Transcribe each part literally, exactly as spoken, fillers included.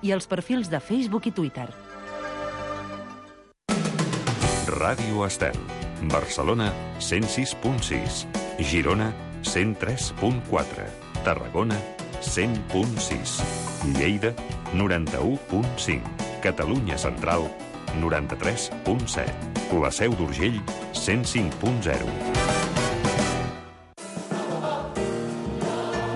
i els perfils de Facebook i Twitter. Ràdio Estel. Barcelona, cent sis punt sis. Girona, cent tres punt quatre. Tarragona, cent punt sis. Lleida, noranta-u punt cinc. Catalunya Central, noranta-tres punt set. La Seu d'Urgell, cent cinc punt zero.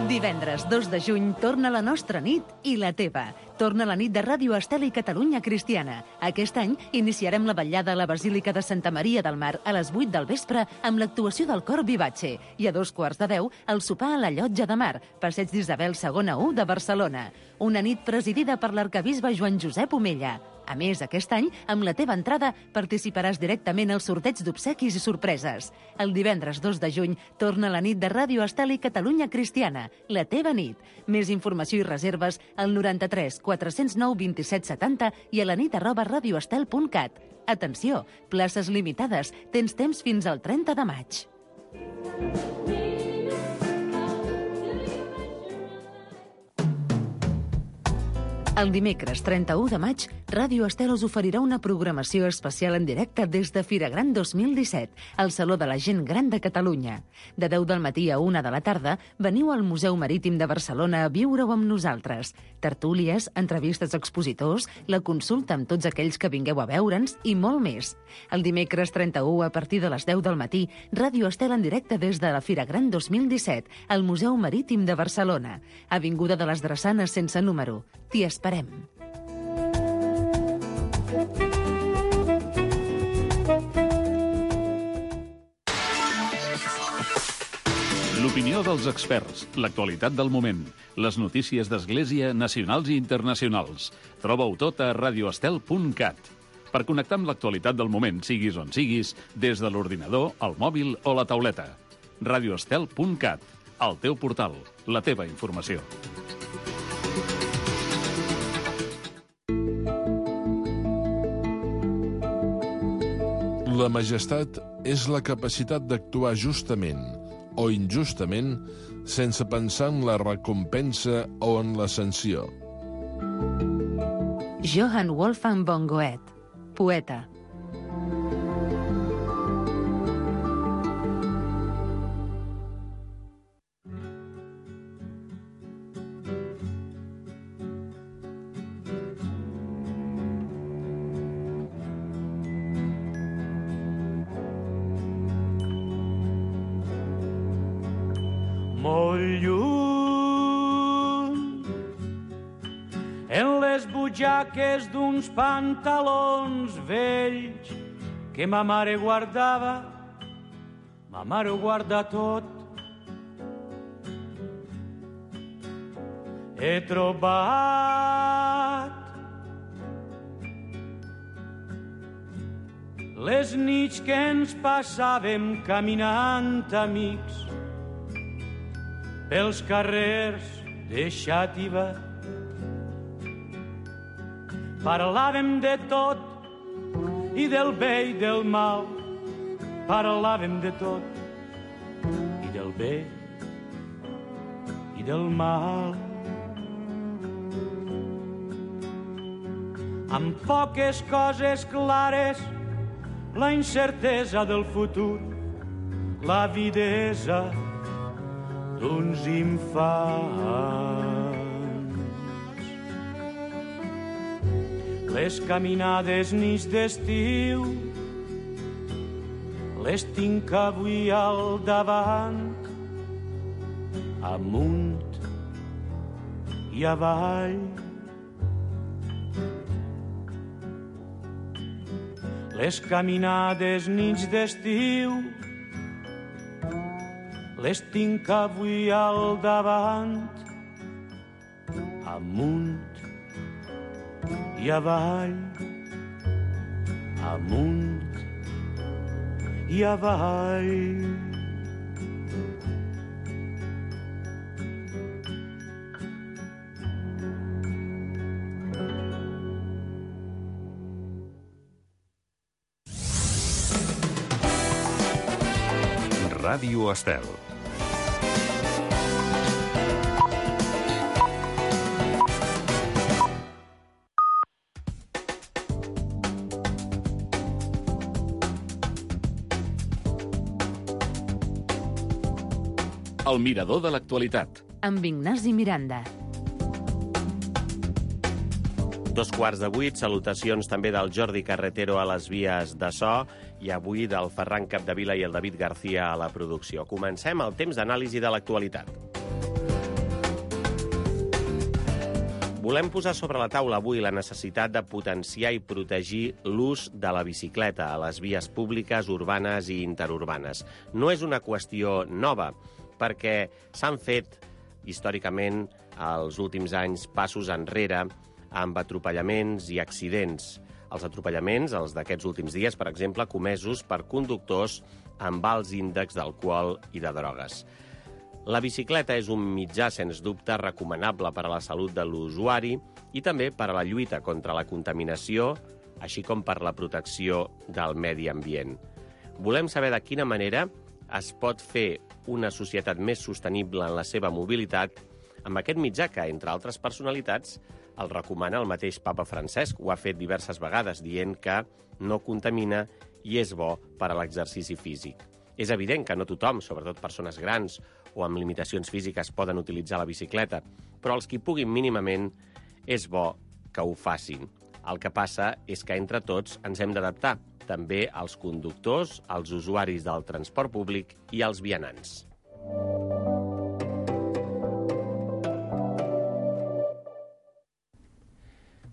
Divendres dos de juny torna la nostra nit i la teva. Torna la nit de Ràdio Estel i Catalunya Cristiana. Aquest any iniciarem la vetllada a la Basílica de Santa Maria del Mar a les vuit del vespre amb l'actuació del cor Vivace i a dos quarts de deu el sopar a la Llotja de Mar, Passeig d'Isabel segona u de Barcelona. Una nit presidida per l'arquebisbe Joan Josep Omella. A més, aquest any, amb la teva entrada, participaràs directament al sorteig d'obsequis i sorpreses. El divendres dos de juny torna la nit de Ràdio Estel i Catalunya Cristiana, la teva nit. Més informació i reserves al noranta-tres quatre zero nou vint-i-set setanta i a la nit arroba radioestel punt cat. Atenció, places limitades. Tens temps fins al trenta de maig. El dimecres trenta-u de maig, Ràdio Estel us oferirà una programació especial en directe des de Fira Gran dos mil disset, al Saló de la Gent Gran de Catalunya. De deu del matí a una de la tarda, veniu al Museu Marítim de Barcelona a viure-ho amb nosaltres. Tertúlies, entrevistes a expositors, la consulta amb tots aquells que vingueu a veure'ns i molt més. El dimecres trenta-u, a partir de les deu del matí, Ràdio Estel en directe des de la Fira Gran dos mil disset, al Museu Marítim de Barcelona. Avinguda de les Drassanes sense número. T'hi esperem. L'opinió dels experts, l'actualitat del moment, les notícies d'Església nacionals i internacionals. Troba-ho tot a radioestel punt cat. Per connectar amb l'actualitat del moment, siguis on siguis, des de l'ordinador, el mòbil o la tauleta. radioestel punt cat, el teu portal, la teva informació. La majestat és la capacitat d'actuar justament o injustament sense pensar en la recompensa o en la sanció. Johann Wolfgang von Goethe, poeta. Molt lluny, en les butxaques d'uns pantalons vells que ma mare guardava, ma mare ho guarda tot. He trobat les nits que ens passàvem caminant amics pels carrers de Xàtiva. Parlàvem de tot i del bé i del mal. Parlàvem de tot i del bé i del mal. Amb poques coses clares, la incertesa del futur, la videsa d'uns infants. Les caminades nits d'estiu les tinc avui al davant, amunt i avall. Les caminades nits d'estiu les tinc avui al davant, amunt i avall, amunt i avall. Ràdio Estel. El mirador de l'actualitat. Amb Ignasi Miranda. Dos quarts de vuit, salutacions també del Jordi Carretero a les vies de so i avui del Ferran Capdevila i el David García a la producció. Comencem el temps d'anàlisi de l'actualitat. Volem posar sobre la taula avui la necessitat de potenciar i protegir l'ús de la bicicleta a les vies públiques, urbanes i interurbanes. No és una qüestió nova, perquè s'han fet, històricament, els últims anys, passos enrere amb atropellaments i accidents. Els atropellaments, els d'aquests últims dies, per exemple, comesos per conductors amb alts índexs d'alcohol i de drogues. La bicicleta és un mitjà, sens dubte, recomanable per a la salut de l'usuari i també per a la lluita contra la contaminació, així com per la protecció del medi ambient. Volem saber de quina manera es pot fer una societat més sostenible en la seva mobilitat amb aquest mitjà que, entre altres personalitats, el recomana el mateix papa Francesc. Ho ha fet diverses vegades, dient que no contamina i és bo per a l'exercici físic. És evident que no tothom, sobretot persones grans o amb limitacions físiques, poden utilitzar la bicicleta, però els qui puguin mínimament és bo que ho facin. El que passa és que entre tots ens hem d'adaptar, també als conductors, als usuaris del transport públic i als vianants.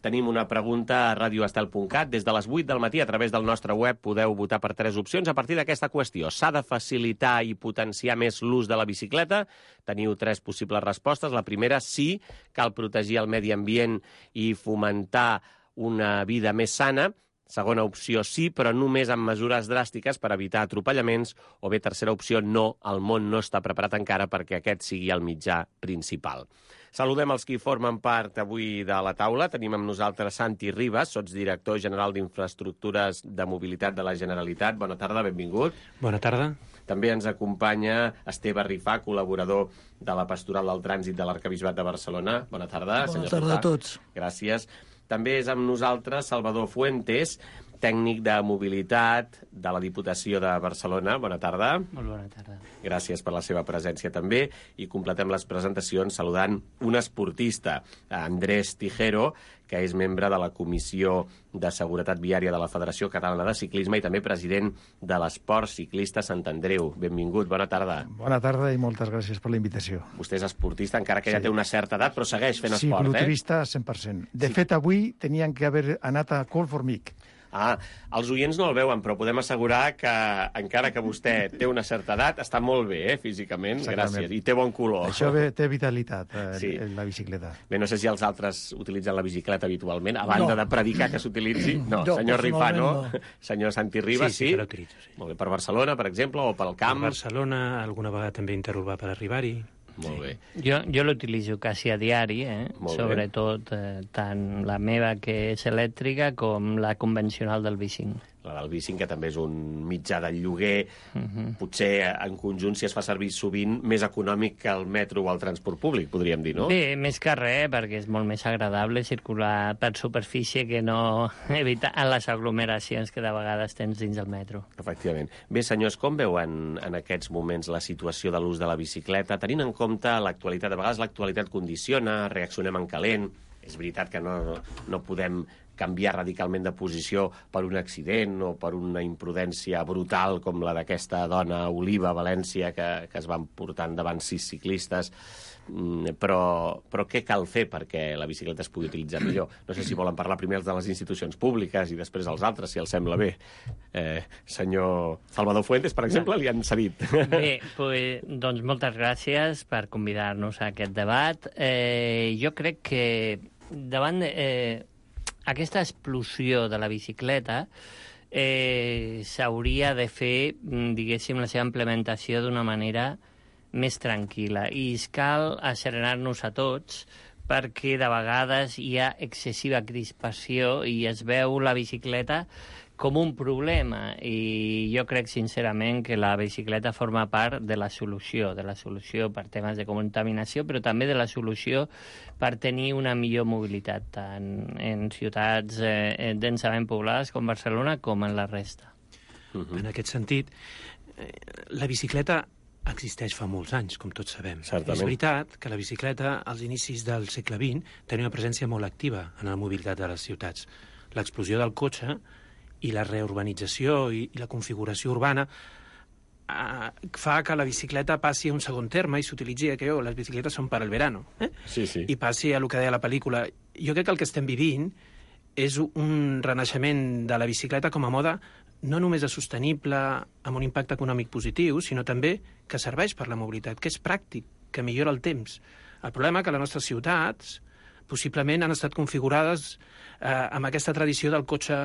Tenim una pregunta a radio estel punt cat. Des de les vuit del matí, a través del nostre web, podeu votar per tres opcions a partir d'aquesta qüestió. S'ha de facilitar i potenciar més l'ús de la bicicleta? Teniu tres possibles respostes. La primera, sí, cal protegir el medi ambient i fomentar una vida més sana. Segona opció, sí, però només amb mesures dràstiques per evitar atropellaments. O bé, tercera opció, no, el món no està preparat encara perquè aquest sigui el mitjà principal. Saludem els qui formen part avui de la taula. Tenim amb nosaltres Santi Ribas, sotsdirector general d'Infraestructures de Mobilitat de la Generalitat. Bona tarda, benvingut. Bona tarda. També ens acompanya Esteve Rifà, col·laborador de la Pastoral del Trànsit de l'Arquebisbat de Barcelona. Bona tarda, senyor Rifà. Bona tarda a tots. Gràcies. També és amb nosaltres Salvador Fuentes, tècnic de mobilitat de la Diputació de Barcelona. Bona tarda. Molt bona tarda. Gràcies per la seva presència també. I completem les presentacions saludant un esportista, Andrés Tijero, que és membre de la Comissió de Seguretat Viària de la Federació Catalana de Ciclisme i també president de l'Esport Ciclista Sant Andreu. Benvingut, bona tarda. Bona tarda i moltes gràcies per la invitació. Vostè és esportista, encara que ja Sí. té una certa edat, però segueix fent esport, eh? Cicloturista cent per cent. De Sí. fet, avui tenien que haver anat a Colformic. Ah, els oients no el veuen, però podem assegurar que, encara que vostè té una certa edat, està molt bé, eh, físicament. Exactament. Gràcies. I té bon color. Això ve, té vitalitat, eh, Sí. la bicicleta. Bé, no sé si els altres utilitzen la bicicleta habitualment, a banda No. de predicar que s'utilitzi. No, No, senyor Rifà, no? personalment Senyor Santi Ribas, sí, sí? sí que l'utilitzo, sí. Molt bé, per Barcelona, per exemple, o pel A camp? Barcelona, alguna vegada també interurbà per arribar-hi. Molt bé. Jo, jo l'utilitzo quasi a diari, eh? Molt bé. Sobretot eh, tant la meva, que és elèctrica, com la convencional del bicing. La del bicing, que també és un mitjà de lloguer, Uh-huh. potser en conjunt, si es fa servir sovint, més econòmic que el metro o el transport públic, podríem dir, no? Bé, més que res, perquè és molt més agradable circular per superfície que no evitar les aglomeracions que de vegades tens dins del metro. Efectivament. Bé, senyors, com veuen en aquests moments la situació de l'ús de la bicicleta? Tenint en compte l'actualitat, de vegades l'actualitat condiciona, reaccionem en calent. És veritat que no, no podem canviar radicalment de posició per un accident o per una imprudència brutal com la d'aquesta dona Oliva a València que, que es van portar endavant sis ciclistes. Mm, Però, però què cal fer perquè la bicicleta es pugui utilitzar millor? No sé si volen parlar primer els de les institucions públiques i després els altres, si els sembla bé. Eh, senyor Salvador Fuentes, per exemple, li han cedit. Bé, pues, doncs moltes gràcies per convidar-nos a aquest debat. Eh, jo crec que davant de, eh, aquesta explosió de la bicicleta eh, s'hauria de fer, diguéssim, la seva implementació d'una manera més tranquil·la. I cal asserenar-nos a tots perquè de vegades hi ha excessiva crispació i es veu la bicicleta com un problema, i jo crec sincerament que la bicicleta forma part de la solució, de la solució per temes de contaminació, però també de la solució per tenir una millor mobilitat, tant en ciutats eh, densament poblades com Barcelona com en la resta. Uh-huh. En aquest sentit, eh, la bicicleta existeix fa molts anys, com tots sabem. Certament. És veritat que la bicicleta, als inicis del segle vint, tenia una presència molt activa en la mobilitat de les ciutats. L'explosió del cotxe i la reurbanització i, i la configuració urbana eh, fa que la bicicleta passi a un segon terme i s'utilitzi que oh, les bicicletes són per al verano. Eh? Sí, sí. I passi a el que deia la pel·lícula. Jo crec que el que estem vivint és un renaixement de la bicicleta com a moda no només és sostenible, amb un impacte econòmic positiu, sinó també que serveix per la mobilitat, que és pràctic, que millora el temps. El problema és que les nostres ciutats possiblement han estat configurades eh, amb aquesta tradició del cotxe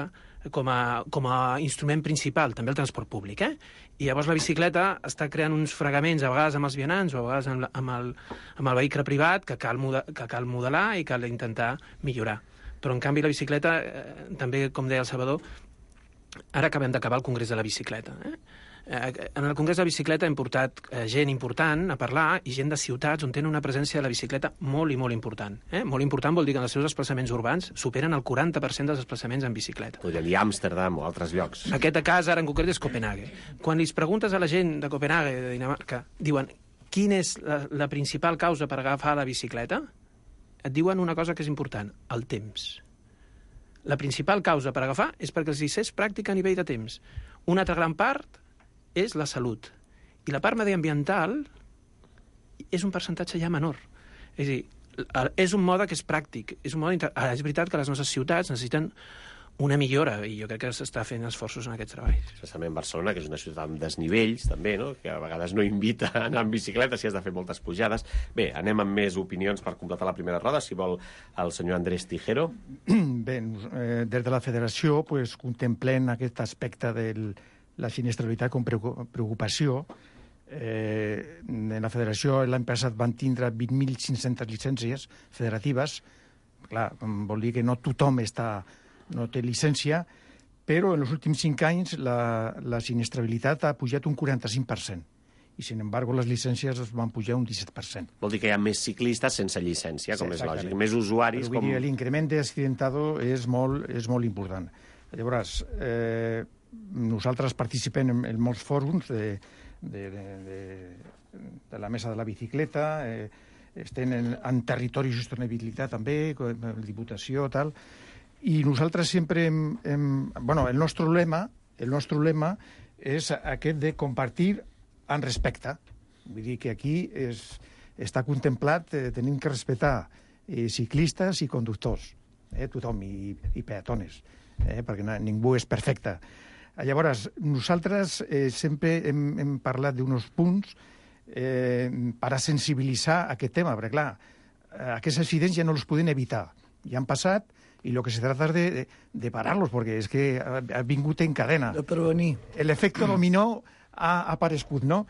com a, com a instrument principal, també el transport públic. Eh? I llavors la bicicleta està creant uns fregaments, a vegades amb els vianants o a vegades amb, la, amb, el, amb el vehicle privat, que cal, moda, que cal modelar i cal intentar millorar. Però, en canvi, la bicicleta, eh, també, com deia el Salvador, ara acabem d'acabar el Congrés de la Bicicleta. Eh? Eh, en el Congrés de la Bicicleta hem portat eh, gent important a parlar i gent de ciutats on tenen una presència de la bicicleta molt i molt important. Eh? Molt important vol dir que en els seus desplaçaments urbans superen el quaranta per cent dels desplaçaments en bicicleta. Podria dir Amsterdam o altres llocs. Aquest cas, ara en concret, és Copenhague. Quan li preguntes a la gent de Copenhague, de Dinamarca, diuen quina és la, la principal causa per agafar la bicicleta, et diuen una cosa que és important, el temps. La principal causa per agafar és perquè els és pràctica a nivell de temps. Una altra gran part és la salut. I la part mediambiental és un percentatge ja menor. És a dir, és un mode que és pràctic. És, un mode inter... Ara, és veritat que les nostres ciutats necessiten una millora, i jo crec que s'està fent esforços en aquests treballs. Especialment Barcelona, que és una ciutat amb desnivells, també, no? Que a vegades no invita a anar en bicicleta si has de fer moltes pujades. Bé, anem amb més opinions per completar la primera roda, si vol el senyor Andrés Tijero. Bé, eh, des de la federació pues, contemplem aquest aspecte de la sinistralitat com preocupació. Eh, en la federació l'any passat van tindre vint mil cinc-centes llicències federatives. Clar, vol dir que no tothom està... no té llicència, però en els últims cinc anys la, la sinistrabilitat ha pujat un quaranta-cinc per cent i, sin embargo, les llicències van pujar un disset per cent. Vol dir que hi ha més ciclistes sense llicència, com sí, és lògic, més usuaris. Però, com... L'increment d'accidentado és molt, és molt important. Llavors, eh, nosaltres participem en, en molts fòrums de, de, de, de, de la mesa de la bicicleta, eh, estem en, en territori i sostenibilitat també, com Diputació, tal... I nosaltres sempre hem, hem... Bueno, el nostre lema, el nostre lema és aquest de compartir en respecte. Vull dir que aquí és, està contemplat, eh, tenim que respectar eh, ciclistes i conductors, eh, tothom, i, i peatones, eh, perquè no, ningú és perfecte. Llavors, nosaltres eh, sempre hem, hem parlat d'uns punts eh, per a sensibilitzar aquest tema, perquè, clar, aquests accidents ja no els podem evitar. Ja han passat, y lo que se trata es de, de, de pararlos, porque es que ha, ha vingut en cadena. De prevenir. L'efecte dominó ha, ha aparegut, no?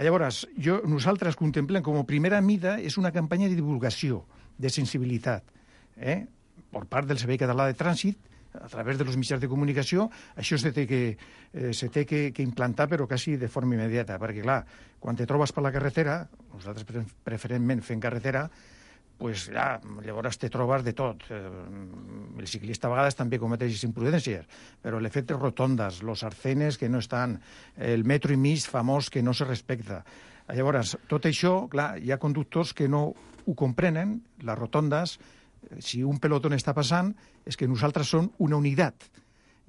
Llavors, jo, nosaltres contemplem com a primera mida és una campanya de divulgació, de sensibilitat, eh? per part del Servei Català de Trànsit, a través de los mitjans de comunicació. Això se té que, eh, se té que, que implantar, però quasi de forma immediata, perquè, clar, quan te trobes per la carretera, nosaltres preferentment fent carretera, pues ja, llavors te trobes de tot. El ciclista a vegades també cometeix imprudències, però l'efecte rotondes, los arcenes que no estan, el metro i mig famós que no se respecta. Llavors, tot això, clar, hi ha conductors que no ho comprenen, les rotondes, si un pelotón està passant, és que nosaltres som una unitat,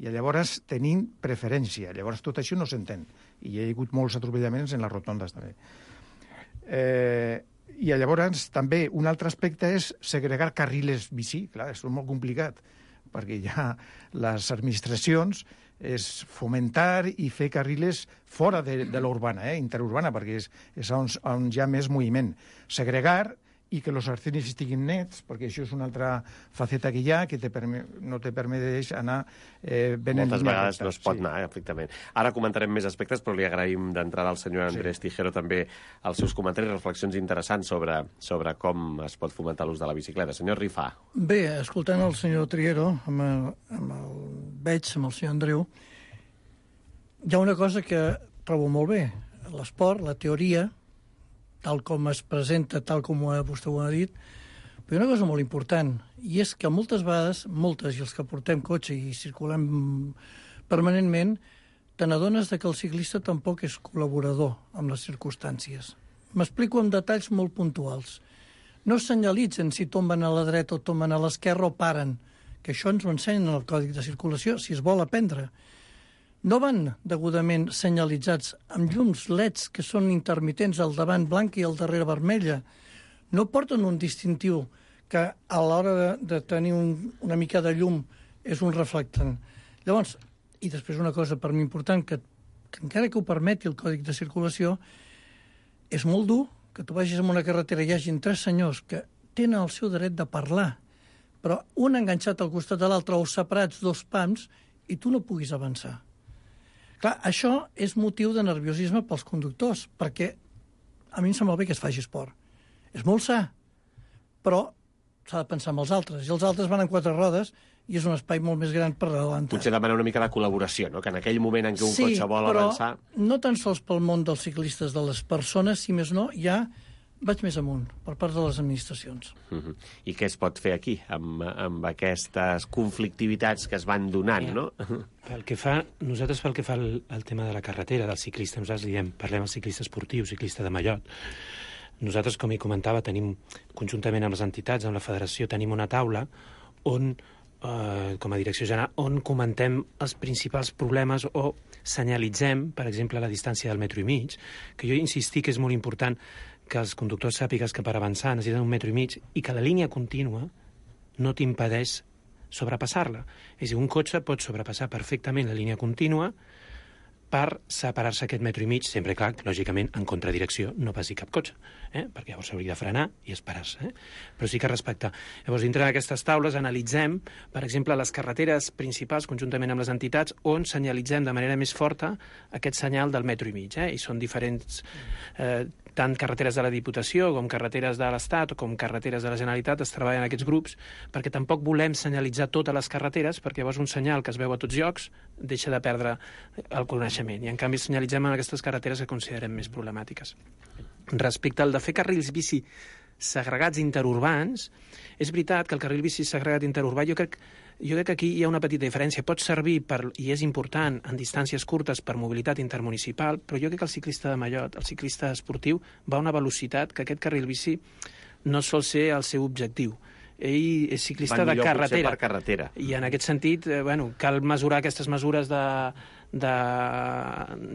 i llavors tenim preferència. Llavors tot això no s'entén, i hi ha hagut molts atropellaments en les rotondes també. Eh... I llavors també un altre aspecte és segregar carrils bici. Clar, és molt complicat, perquè ja les administracions és fomentar i fer carrils fora de, de l'urbana, eh, interurbana, perquè és, és on, on hi ha més moviment. Segregar i que els arcenes estiguin nets, perquè això és una altra faceta que hi ha, que te permet, no te permet anar eh, ben en línia. Moltes vegades no es pot sí. anar, efectivament. Ara comentarem més aspectes, però li agraïm d'entrada al senyor Andrés sí. Tijero també els seus comentaris i reflexions interessants sobre, sobre com es pot fomentar l'ús de la bicicleta. Senyor Rifà. Bé, escoltant el senyor Triero, amb el, amb el veig, amb el senyor Andreu, hi ha una cosa que trobo molt bé. L'esport, la teoria, tal com es presenta, tal com vostè ho ha dit, però hi ha una cosa molt important, i és que moltes vegades, moltes, i els que portem cotxe i circulem permanentment, te n'adones que el ciclista tampoc és col·laborador amb les circumstàncies. M'explico amb detalls molt puntuals. No senyalitzen si tomben a la dreta o tomben a l'esquerra o paren, que això ens ho ensenyen en el Còdic de Circulació, si es vol aprendre. No van degudament senyalitzats amb llums L E Ds que són intermitents, al davant blanc i al darrere vermella. No porten un distintiu que a l'hora de, de tenir un, una mica de llum és un reflectant. Llavors, i després una cosa per mi important, que, que encara que ho permeti el Còdic de Circulació, és molt dur que tu vagis en una carretera i hi hagin tres senyors que tenen el seu dret de parlar, però un enganxat al costat de l'altre o separats dos pams i tu no puguis avançar. Clar, això és motiu de nerviosisme pels conductors, perquè a mi em sembla bé que es faci esport. És molt sa, però s'ha de pensar en els altres. I els altres van en quatre rodes i és un espai molt més gran per adelantar. Potser demana una mica de col·laboració, no? Que en aquell moment en què un sí, cotxe vol però avançar... no tan sols pel món dels ciclistes, de les persones, si més no, ja vaig més amunt, per part de les administracions. Uh-huh. I què es pot fer aquí, amb, amb aquestes conflictivitats que es van donant, no? Pel que fa, nosaltres pel que fa al, al tema de la carretera, del ciclista, nosaltres diem, parlem del ciclista esportiu, ciclista de mallot. Nosaltres, com hi comentava, tenim, conjuntament amb les entitats, amb la federació, tenim una taula on Uh, com a direcció general, on comentem els principals problemes o senyalitzem, per exemple, la distància del metro i mig, que jo insistí que és molt important que els conductors sàpigues que per avançar necessiten un metro i mig i que la línia contínua no t'impedeix sobrepassar-la. És a dir, un cotxe pot sobrepassar perfectament la línia contínua per separar-se aquest metro i mig, sempre, clar, lògicament, en contradirecció, no passi cap cotxe, eh? Perquè llavors s'hauria de frenar i esperar-se, eh? Però sí que respectar. Llavors, dintre d'aquestes taules analitzem, per exemple, les carreteres principals, conjuntament amb les entitats, on senyalitzem de manera més forta aquest senyal del metro i mig, eh? I són diferents... Eh, tant carreteres de la Diputació com carreteres de l'Estat o com carreteres de la Generalitat es treballen en aquests grups perquè tampoc volem senyalitzar totes les carreteres perquè llavors un senyal que es veu a tots llocs deixa de perdre el coneixement i en canvi senyalitzem en aquestes carreteres que considerem més problemàtiques. Respecte al de fer carrils bici segregats interurbans, és veritat que el carril bici segregat interurbà jo crec Jo crec que aquí hi ha una petita diferència. Pot servir, per, i és important, en distàncies curtes per mobilitat intermunicipal, però jo crec que el ciclista de mallot, el ciclista esportiu, va a una velocitat que aquest carril bici no sol ser el seu objectiu. Ell és ciclista de carretera. Per carretera. I en aquest sentit, eh, bueno, cal mesurar aquestes mesures de, de,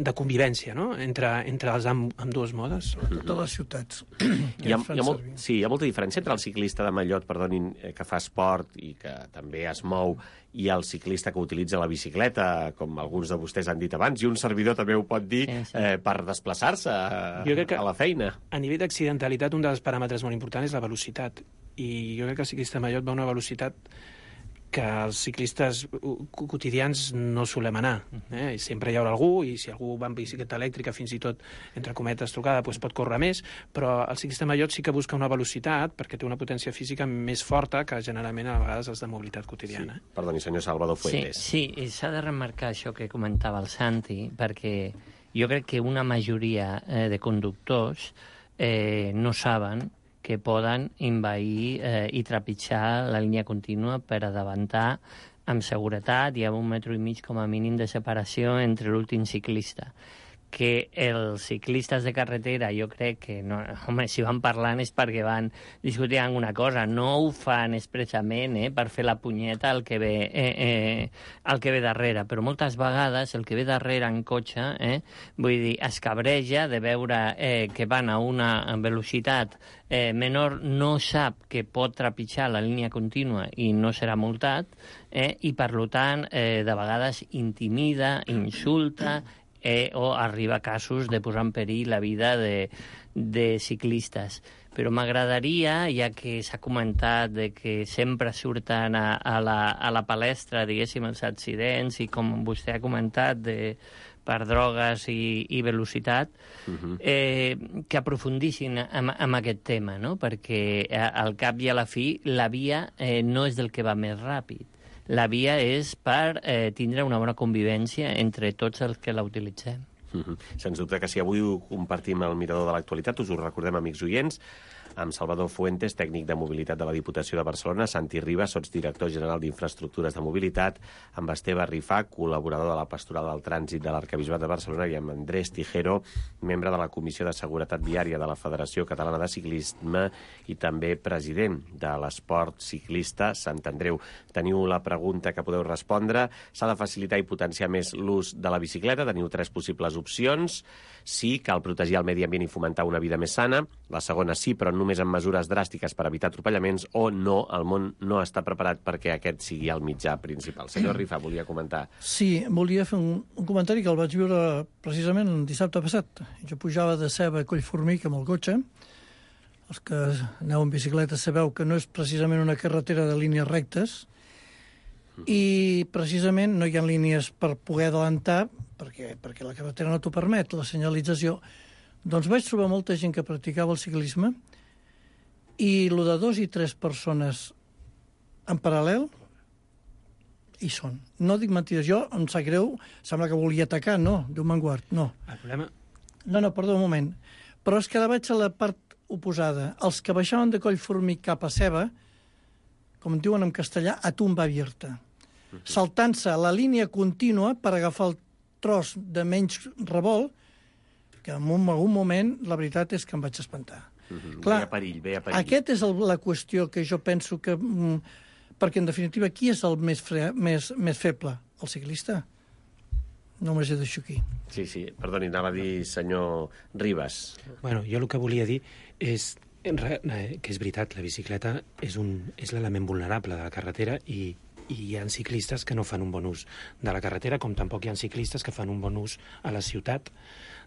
de convivència, no?, entre, entre els amb, amb dues modes. Sobretot a les ciutats. Hi ha, hi ha molt, sí, hi ha molta diferència entre el ciclista de mallot, perdonin, que fa esport i que també es mou, i el ciclista que utilitza la bicicleta, com alguns de vostès han dit abans, i un servidor també ho pot dir, sí, sí. Eh, per desplaçar-se a, a la feina. A nivell d'accidentalitat, un dels paràmetres molt importants és la velocitat. I jo crec que el ciclista de mallot va a una velocitat que els ciclistes quotidians no solem anar. Eh? Sempre hi haurà algú, i si algú va amb bicicleta elèctrica, fins i tot, entre cometes, trucada, doncs pot córrer més, però el ciclista de mallot sí que busca una velocitat perquè té una potència física més forta que generalment a vegades els de mobilitat quotidiana. Sí. Perdoni, senyor Salvador Fuentes. Sí, sí, s'ha de remarcar això que comentava el Santi, perquè jo crec que una majoria eh, de conductors eh, no saben que poden envair eh, i trepitjar la línia contínua per adavantar amb seguretat i amb un metro i mig com a mínim de separació entre l'últim ciclista. Que els ciclistes de carretera, jo crec que, no, home, si van parlant és perquè van discutint alguna cosa, no ho fan expressament eh, per fer la punyeta al que ve, eh, eh, al que ve darrere, però moltes vegades el que ve darrere en cotxe, eh, vull dir, es cabreja de veure eh, que van a una velocitat eh, menor, no sap que pot trepitjar la línia contínua i no serà multat, eh, i per tant, eh, de vegades intimida, insulta, Eh, o arriba a casos de posar en perill la vida de, de ciclistes. Però m'agradaria, ja que s'ha comentat de que sempre surten a, a, la, a la palestra, diguéssim, els accidents, i com vostè ha comentat, de, per drogues i, i velocitat, uh-huh. eh, que aprofundissin en, en aquest tema, no? Perquè al cap i a la fi la via eh, no és del que va més ràpid. La via és per eh, tindre una bona convivència entre tots els que la utilitzem. Mm-hmm. Sens dubte que si avui ho compartim al mirador de l'actualitat, us ho recordem, amics oients, amb Salvador Fuentes, tècnic de mobilitat de la Diputació de Barcelona, Santi Ribas, sotsdirector general d'Infraestructures de Mobilitat, amb Esteve Rifà, col·laborador de la Pastoral del Trànsit de l'Arquebisbat de Barcelona, i amb Andrés Tijero, membre de la Comissió de Seguretat Viària de la Federació Catalana de Ciclisme i també president de l'Esport Ciclista Sant Andreu. Teniu la pregunta que podeu respondre. S'ha de facilitar i potenciar més l'ús de la bicicleta. Teniu tres possibles opcions. Sí, cal protegir el medi ambient i fomentar una vida més sana. La segona, sí, però només amb mesures dràstiques per evitar atropellaments. O no, el món no està preparat perquè aquest sigui el mitjà principal. Senyor Rifà, volia comentar. Sí, volia fer un, un comentari que el vaig viure precisament el dissabte passat. Jo pujava de Ceba a Collformic amb el cotxe. Els que aneu en bicicleta sabeu que no és precisament una carretera de línies rectes, i precisament no hi ha línies per poder adelantar perquè, perquè la carretera no t'ho permet, la senyalització. Doncs vaig trobar molta gent que practicava el ciclisme i lo de dos i tres persones en paral·lel hi són. No dic mentides, jo em sap greu, sembla que volia atacar, no, Déu me'n guard, no. El problema... No, no, perdó, un moment. Però és que ara vaig a la part oposada. Els que baixaven de Collformic cap a Ceba, com diuen en castellà, a tumba abierta, saltant-se la línia contínua per agafar el tros de menys revolt, que en un, algun moment la veritat és que em vaig espantar. Mm-hmm. Clar, ve a perill, ve a perill. Aquest és el, la qüestió que jo penso que... Mm, perquè, en definitiva, qui és el més, fre, més, més feble? El ciclista? Només he deixat aquí. Sí, sí, perdoni, anava a dir senyor Ribas. Bueno, jo el que volia dir és que és veritat, la bicicleta és, un, és l'element vulnerable de la carretera i, i hi ha ciclistes que no fan un bon ús de la carretera, com tampoc hi ha ciclistes que fan un bon ús a la ciutat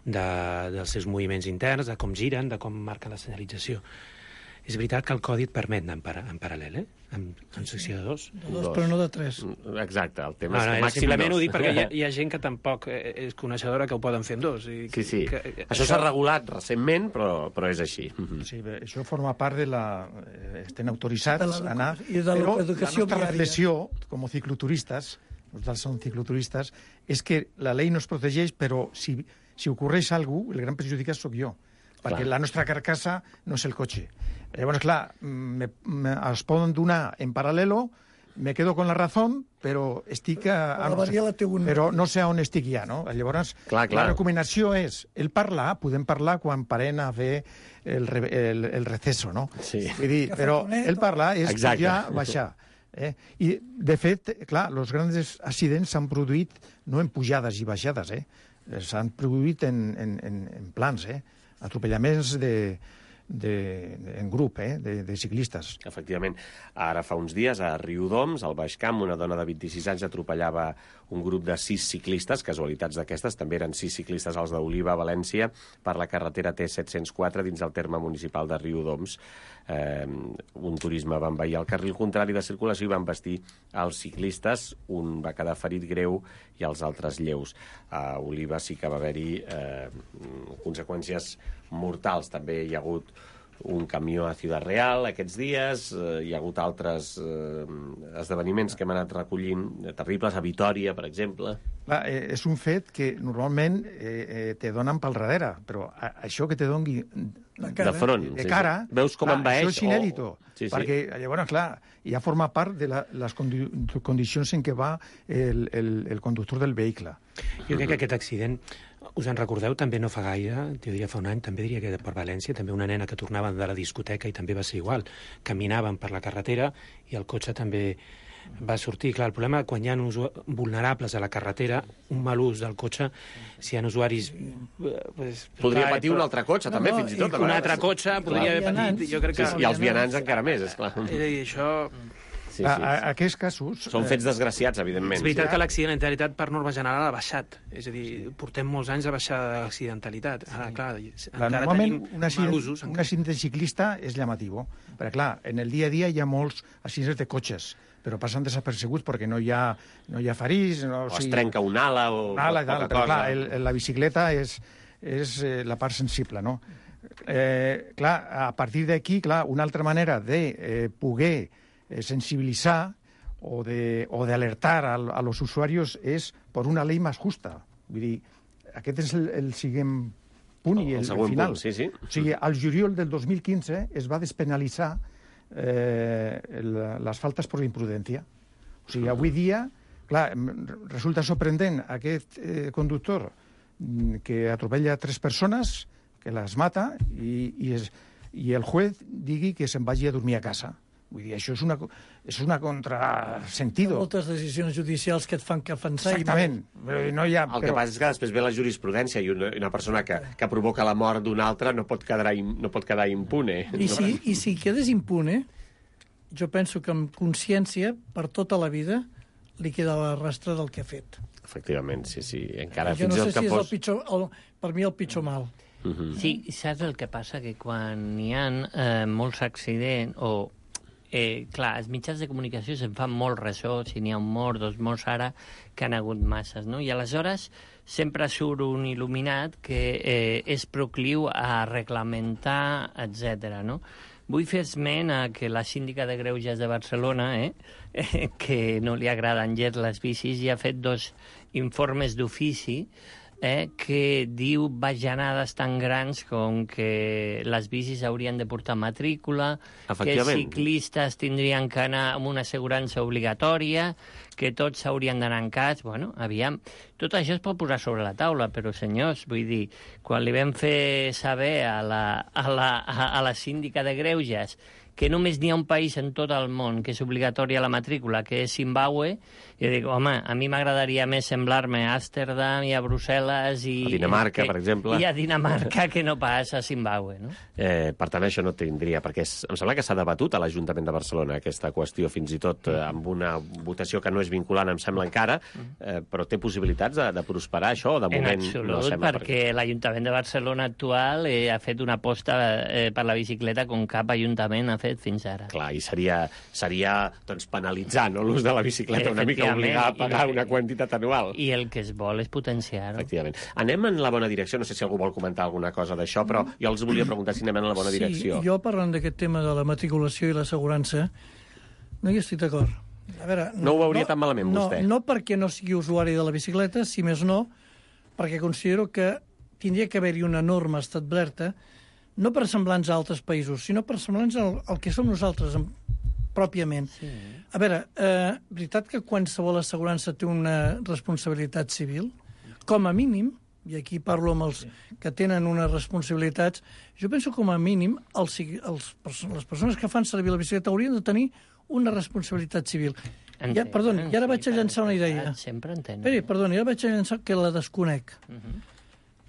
de, dels seus moviments interns, de com giren, de com marquen la senyalització. És veritat que el codi et permet anar en, para, en paral·lel, eh? En, en secció de dos. De dos, però no de tres. Exacte, el tema no, és no, que màxim simplement dos. ho dic perquè hi ha, hi ha gent que tampoc és coneixedora que ho poden fer en dos. I sí, sí. Que, que, això s'ha regulat recentment, però, però és així. Sí, bé, això forma part de la... Estem autoritzats a anar... I de però l'educació la nostra viària. reflexió, com a cicloturistes, nosaltres som cicloturistes, és que la llei no es protegeix, però si, si ocorreix alguna cosa, el gran perjudicat sóc jo. Perquè clar, la nostra carcassa no és el cotxe. Llavors, clar, me, me, es poden donar en paral·lelo, me quedo con la razón, però estic a, a, no sé, però no sé on estic ja, no? Llavors, clar, clar. La recomanació és el parlar, podem parlar quan parem a fer el, el, el receso, no? Sí. Vull dir, però el parlar és exacte, ja baixar. Eh? I, de fet, clar, els grans accidents s'han produït no en pujades i baixades, eh? S'han produït en, en, en, en plans, eh? Atropellaments de, de, de, en grup, eh? de, de ciclistes. Efectivament. Ara fa uns dies a Riudoms, al Baix Camp, una dona de vint-i-sis anys atropellava un grup de sis ciclistes, casualitats d'aquestes, també eren sis ciclistes als d'Oliva, a València, per la carretera T set cents quatre dins el terme municipal de Riudoms. Eh, un turisme va envair el carril contrari de circulació i van vestir els ciclistes. Un va quedar ferit greu i els altres lleus. A Oliva sí que va haver-hi eh, conseqüències mortals. També hi ha hagut un camió a Ciudad Real aquests dies, eh, hi ha hagut altres eh, esdeveniments que hem anat recollint, eh, terribles, a Vitòria, per exemple. Clar, eh, és un fet que normalment eh, eh, te donen pel darrere, però a, això que te doni de, cara, de front, de sí, cara, sí. Veus com clar, envaeix? això és inèdito, oh. sí, sí. perquè llavors, clar, ja forma part de la, les condi condicions en què va el, el, el conductor del vehicle. Jo crec que aquest accident, us en recordeu, també no fa gaire, jo diria fa un any, també diria que per València, també una nena que tornava de la discoteca i també va ser igual. Caminaven per la carretera i el cotxe també va sortir. Clar, el problema quan hi ha vulnerables a la carretera, un mal ús del cotxe, si hi ha usuaris... Pues, podria clar, patir però... un altre cotxe, no, també, no, fins i tot. Un altre cotxe podria haver patit, jo crec que... Sí, I els vianants encara més, esclar. És a dir, això... Sí, a, sí. a, a aquests casos... Són fets desgraciats, evidentment. És veritat que l'accidentalitat per norma general ha baixat. És a dir, portem molts anys a baixar l'accidentalitat. Ara, clar, clar encara normalment tenim un accident, usos. Un accident ciclista és llamatiu, perquè, clar, en el dia a dia hi ha molts accidents de cotxes, però passen desapercebuts perquè no hi ha, no hi ha ferits... No, o es trenca un ala o... Un ala i tal, però, clar, el, la bicicleta és, és eh, la part sensible, no? Eh, clar, a partir d'aquí, clar, una altra manera de eh, poder sensibilizar o de, o de alertar a, a los usuarios es por una ley más justa. Vull dir, aquest és el, el siguiente punt i el, el següent final. Punt, sí, sí. O sigui, al juliol del dos mil quinze es va despenalitzar eh, el, les faltes per imprudència. O sigui, avui dia, clar, resulta sorprendent aquest eh, conductor que atropella tres persones, que les mata, i, i, es, i el juez digui que se'n vagi a dormir a casa. Vull dir, això és una, és una contrasentido. Moltes decisions judicials que et fan que pensar... Exactament. No hi ha, el que passa és que després ve la jurisprudència i una, una persona que, que provoca la mort d'una altra no pot quedar, no pot quedar impune. I si, I si quedes impune, jo penso que amb consciència, per tota la vida, li queda la rastre del que ha fet. Efectivament, sí, sí. Encara jo fins no sé el que si és fos... el pitjor, el, per mi el pitjor mal. Uh-huh. Sí, saps el que passa? Que quan hi ha eh, molts accidents o... Eh, clar, els mitjans de comunicació se'n fan molt ressò, si n'hi ha un mort, dos morts ara, que han hagut masses, no? I aleshores sempre surt un il·luminat que eh, és procliu a reglamentar, etcètera, no? Vull fer esment a que la síndica de Greuges de Barcelona, eh, eh, que no li agraden gens les bicis, ja ha fet dos informes d'ofici eh, que diu bajanades tan grans com que les bicis haurien de portar matrícula, que els ciclistes tindrien que anar amb una assegurança obligatòria, que tots s'haurien d'anar en cas. Bueno, aviam, tot això es pot posar sobre la taula, però, senyors, vull dir, quan li vam fer saber a la, a la, a la síndica de Greuges que només n'hi ha un país en tot el món que és obligatòria la matrícula, que és Zimbàbue, jo dic, home, a mi m'agradaria més semblar-me a Amsterdam i a Brussel·les i... A Dinamarca, que, per exemple. I a Dinamarca, que no pas a Zimbàbue, no? Eh, per tant, això no tindria, perquè és, em sembla que s'ha debatut a l'Ajuntament de Barcelona aquesta qüestió, fins i tot eh, amb una votació que no és vinculant, em sembla encara, eh, però té possibilitats de, de prosperar això, o de moment en absolut, no sembla. Perquè per... l'Ajuntament de Barcelona actual eh, ha fet una aposta eh, per la bicicleta com cap ajuntament ha fet fins ara. Clar, i seria, seria doncs, penalitzar no, l'ús de la bicicleta, una mica obligar a pagar una quantitat anual. I el que es vol és potenciar-ho. Efectivament. Anem en la bona direcció, no sé si algú vol comentar alguna cosa d'això, però jo els volia preguntar si anem en la bona sí, direcció. Jo parlant d'aquest tema de la matriculació i l'assegurança, no hi estic d'acord. A veure, no, no ho veuria no, tan malament, no, vostè? No perquè no sigui usuari de la bicicleta, si més no, perquè considero que tindria que haver-hi una norma establerta no per semblants a altres països, sinó per semblants al, al que som nosaltres pròpiament. Sí. A veure, eh, veritat que qualsevol assegurança té una responsabilitat civil? Com a mínim, i aquí parlo amb els que tenen unes responsabilitats, jo penso com a mínim els, els, les persones que fan servir la bicicleta haurien de tenir una responsabilitat civil. Entenc, ja, perdoni, i ara vaig a llançar una idea. Sempre entenc. Esperi, perdoni, ara vaig a llançar que la desconec. Uh -huh.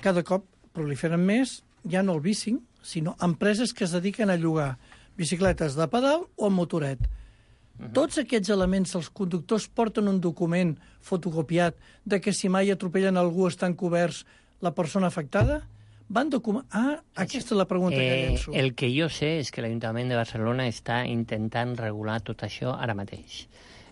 Cada cop proliferen més, ja no el bicing, sinó empreses que es dediquen a llogar bicicletes de pedal o amb motoret. Uh -huh. Tots aquests elements, els conductors porten un document fotocopiat de que si mai atropellen algú estan coberts la persona afectada? Van documentar... Ah, aquesta és la pregunta eh, que llenço. El que jo sé és que l'Ajuntament de Barcelona està intentant regular tot això ara mateix.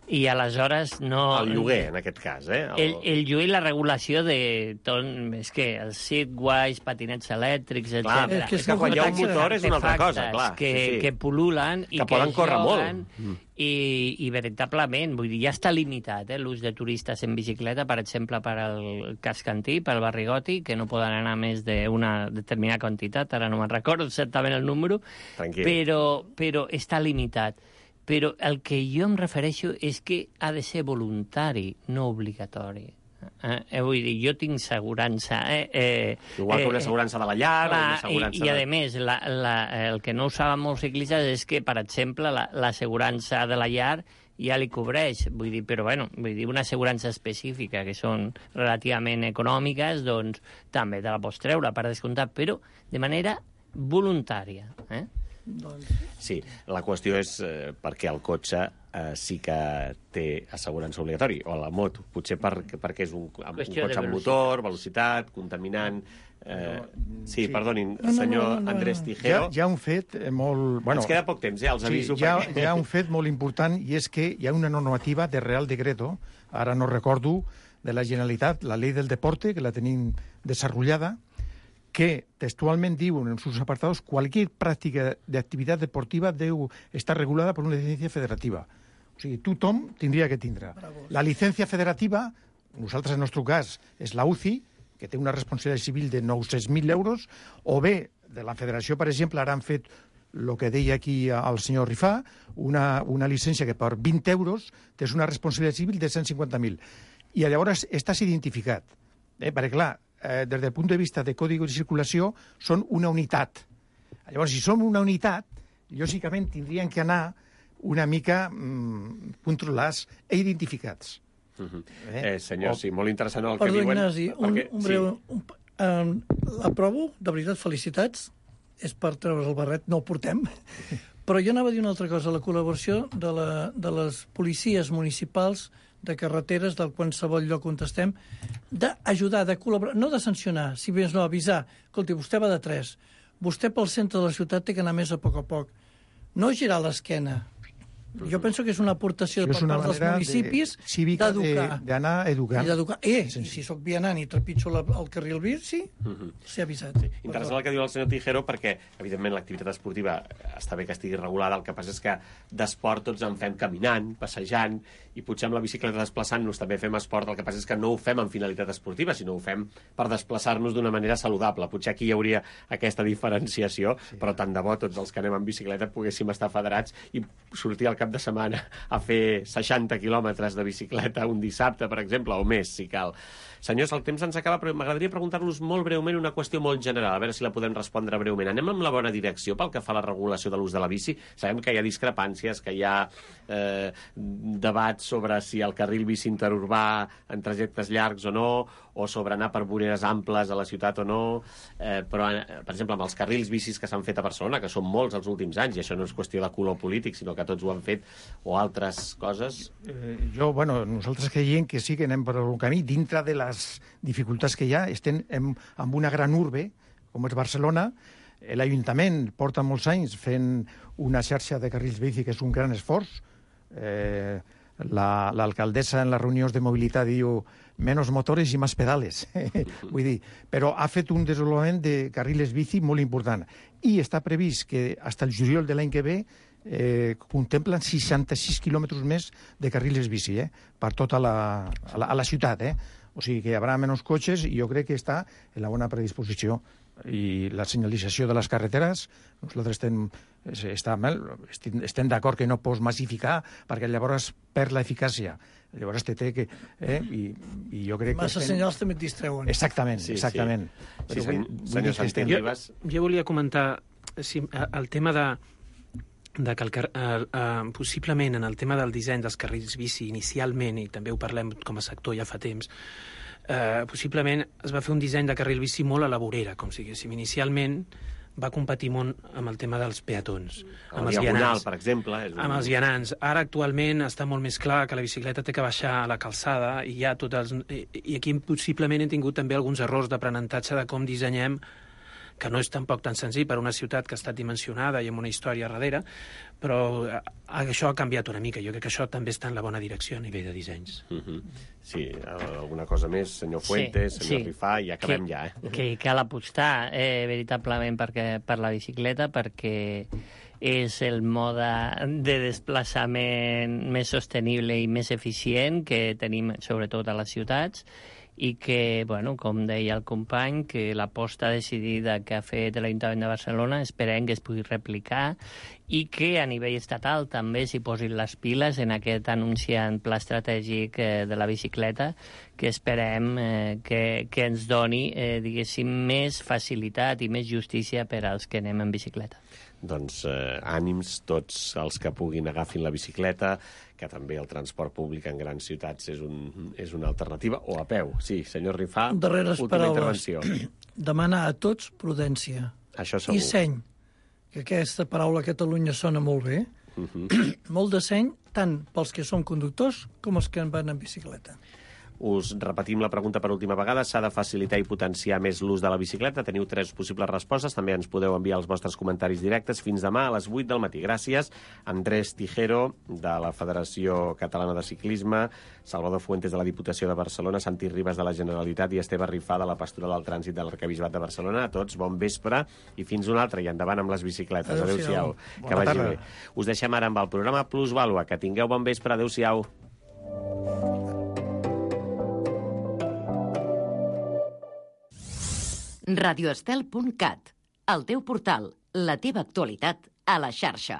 I aleshores no... El lloguer, en aquest cas, eh? El, el, el lloguer i la regulació de tot... És que els segways, patinets elèctrics, etcètera. Clar, és que, és que quan hi ha un motor és una altra cosa, clar. Que, sí, sí. que pul·lulen i que, que poden córrer joguen, molt. I, i veritablement, vull dir, ja està limitat eh, l'ús de turistes en bicicleta, per exemple, per al casc antí, pel barri gòtic, que no poden anar més d'una determinada quantitat, ara no me'n recordo exactament el número, Tranquil. però, però està limitat. Però el que jo em refereixo és que ha de ser voluntari, no obligatori. Eh, vull dir, jo tinc assegurança... Eh, eh, Igual que una assegurança de la llar clar, o una assegurança... I, i a de... més, la, la, el que no ho saben molts ciclistes és que, per exemple, l'assegurança la, de la llar ja li cobreix, vull dir, però bueno, vull dir, una assegurança específica que són relativament econòmiques, doncs també te la pots treure per descomptat, però de manera voluntària, eh? Sí, la qüestió és eh, perquè el cotxe eh, sí que té assegurança obligatòria, o la moto, potser per, perquè és un, un cotxe amb motor, velocitat, contaminant... Eh, sí, sí, perdonin, no, no, senyor no, no, no. Andrés Tijero... Hi ha, hi ha un fet molt... Bueno, ens queda poc temps, ja els aviso. Sí, hi, ha, perquè... hi ha un fet molt important, i és que hi ha una normativa de Real Decreto, ara no recordo, de la Generalitat, la Ley del Deporte, que la tenim desarrollada, que textualment diuen en sus apartados cualquier práctica de actividad deportiva deu estar regulada por una licencia federativa. O sigui, tothom tindria que tindre. Bravo. La licència federativa, nosaltres en el nostre cas, és la U C I, que té una responsabilitat civil de nou-cents mil euros, o bé, de la federació, per exemple, ara han fet el que deia aquí el senyor Rifà, una, una llicència que per vint euros tens una responsabilitat civil de cent cinquanta mil. I llavors estàs identificat. Eh? Perquè, clar, eh, des del punt de vista de codi de circulació, són una unitat. Llavors, si som una unitat, lògicament tindrien que anar una mica mmm, controlats i identificats. Uh-huh. eh? Eh, senyor, o... sí, molt interessant el Perdó, que diuen. Ignasi, un, perquè... un breu... Sí. Un, um, l'aprovo, de veritat, felicitats. És per treure's el barret, no el portem. Però jo anava a dir una altra cosa, la col·laboració de, la, de les policies municipals de carreteres del qualsevol lloc on estem, d'ajudar, de col·laborar, no de sancionar, si més no, avisar. Escolti, vostè va de tres, vostè pel centre de la ciutat té que anar més a poc a poc. No girar l'esquena. Jo penso que és una aportació per part dels municipis d'educar. D'anar educant. I d'educar. Eh, sí, sí. Si sóc vianant i trepitjo la, el carril bici, uh-huh. Ser avisat. Sí. Interessant el que diu el senyor Tijero, perquè, evidentment, l'activitat esportiva està bé que estigui regulada, el que passa és que d'esport tots en fem caminant, passejant, i potser amb la bicicleta desplaçant-nos també fem esport, el que passa és que no ho fem amb finalitat esportiva, sinó ho fem per desplaçar-nos d'una manera saludable. Potser aquí hi hauria aquesta diferenciació, sí. Però tant de bo tots els que anem en bicicleta poguéssim estar federats i sortir al cap de setmana a fer seixanta quilòmetres de bicicleta un dissabte, per exemple, o més, si cal. Senyors, el temps ens acaba, però m'agradaria preguntar-los molt breument una qüestió molt general, a veure si la podem respondre breument. Anem amb la bona direcció pel que fa a la regulació de l'ús de la bici? Sabem que hi ha discrepàncies, que hi ha eh, debats sobre si el carril bici interurbà en trajectes llargs o no, o sobre anar per voreres amples a la ciutat o no, eh, però, eh, per exemple, amb els carrils bicis que s'han fet a Barcelona, que són molts els últims anys, i això no és qüestió de color polític, sinó que tots ho han fet, o altres coses... Eh, jo, bueno, nosaltres creiem que sí que anem per un camí, dintre de les dificultats que hi ha, estem en, en una gran urbe, com és Barcelona. L'Ajuntament porta molts anys fent una xarxa de carrils bici que és un gran esforç. Eh, l'alcaldessa la, en les reunions de mobilitat diu menos motores i més pedales. Vull dir, però ha fet un desenvolupament de carrils bici molt important. I està previst que fins el juliol de l'any que ve eh, contemplen seixanta-sis quilòmetres més de carrils bici, eh, per tota la, a la, a la ciutat, eh? O sigui que hi haurà menys cotxes i jo crec que està en la bona predisposició. I la senyalització de les carreteres, nosaltres estem, està mal, estem, estem d'acord que no pots massificar perquè llavors perd l'eficàcia. Llavors te té que... Eh, i, i jo crec Massa que... Estem... senyals també et distreuen. Exactament, sí, exactament. Sí. Però Sí, vull, sen, vull senyor Santi Ribas... Jo, jo volia comentar sí, el tema de, de que el, el, uh, possiblement en el tema del disseny dels carrils bici inicialment, i també ho parlem com a sector ja fa temps, Uh, possiblement es va fer un disseny de carril bici molt a la vorera, com si diguéssim. Inicialment va competir molt amb el tema dels peatons, amb els vianants, per exemple. És un... Amb els vianants. Ara, actualment, està molt més clar que la bicicleta té que baixar a la calçada i hi ha tots els... I, i aquí possiblement hem tingut també alguns errors d'aprenentatge de com dissenyem, que no és tampoc tan senzill per una ciutat que ha estat dimensionada i amb una història darrere, però això ha canviat una mica. Jo crec que això també està en la bona direcció a nivell de dissenys. Uh-huh. Sí, alguna cosa més, senyor Fuentes, sí, senyor sí. Rifà, i acabem que, ja. Eh? Que cal apostar eh, veritablement perquè, per la bicicleta, perquè és el mode de desplaçament més sostenible i més eficient que tenim sobretot a les ciutats, i que, bueno, com deia el company, que l'aposta decidida que ha fet l'Ajuntament de Barcelona esperem que es pugui replicar i que a nivell estatal també s'hi posin les piles en aquest anunciant pla estratègic eh, de la bicicleta, que esperem eh, que, que ens doni, eh, diguéssim, més facilitat i més justícia per als que anem en bicicleta. Doncs eh, ànims tots els que puguin agafin la bicicleta, que també el transport públic en grans ciutats és, un, és una alternativa, o a peu. Sí, senyor Rifà, darreres última paraules. intervenció. Demanar a tots prudència. Això segur. I seny, que aquesta paraula a Catalunya sona molt bé. Uh-huh. Molt de seny, tant pels que som conductors com els que van en bicicleta. Us repetim la pregunta per última vegada. S'ha de facilitar i potenciar més l'ús de la bicicleta? Teniu tres possibles respostes. També ens podeu enviar els vostres comentaris directes fins demà a les vuit del matí. Gràcies. Andrés Tijero, de la Federació Catalana de Ciclisme, Salvador Fuentes, de la Diputació de Barcelona, Santi Ribas, de la Generalitat, i Esteve Rifà, de la Pastoral del Trànsit de l'Arquebisbat de Barcelona. A tots, bon vespre i fins un altre. I endavant amb les bicicletes. Adéu-siau. Que vagi bé. Us deixem ara amb el programa Plus Vàlua. Que tingueu bon vespre. Adéu-siau. radioestel punt cat, el teu portal, la teva actualitat a la xarxa.